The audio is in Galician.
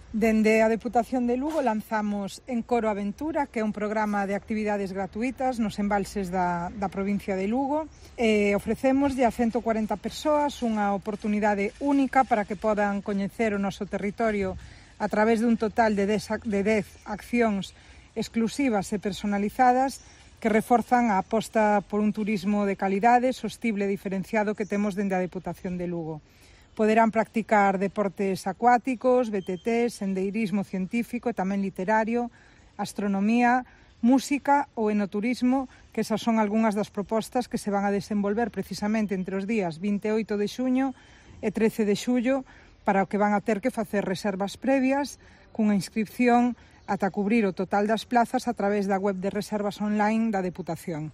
Dende a Deputación de Lugo lanzamos Encoro Aventura, que é un programa de actividades gratuitas nos embalses da provincia de Lugo. Ofrecémoslle a 140 persoas unha oportunidade única para que podan coñecer o noso territorio a través dun total de 10 accións exclusivas e personalizadas que reforzan a aposta por un turismo de calidade, sostible e diferenciado que temos dende a Deputación de Lugo. Poderán practicar deportes acuáticos, BTT, sendeirismo científico e tamén literario, astronomía, música ou enoturismo, que esas son algunhas das propostas que se van a desenvolver precisamente entre os días 28 de xuño e 13 de xullo, para o que van a ter que facer reservas previas cunha inscripción ata cubrir o total das plazas a través da web de reservas online da Deputación.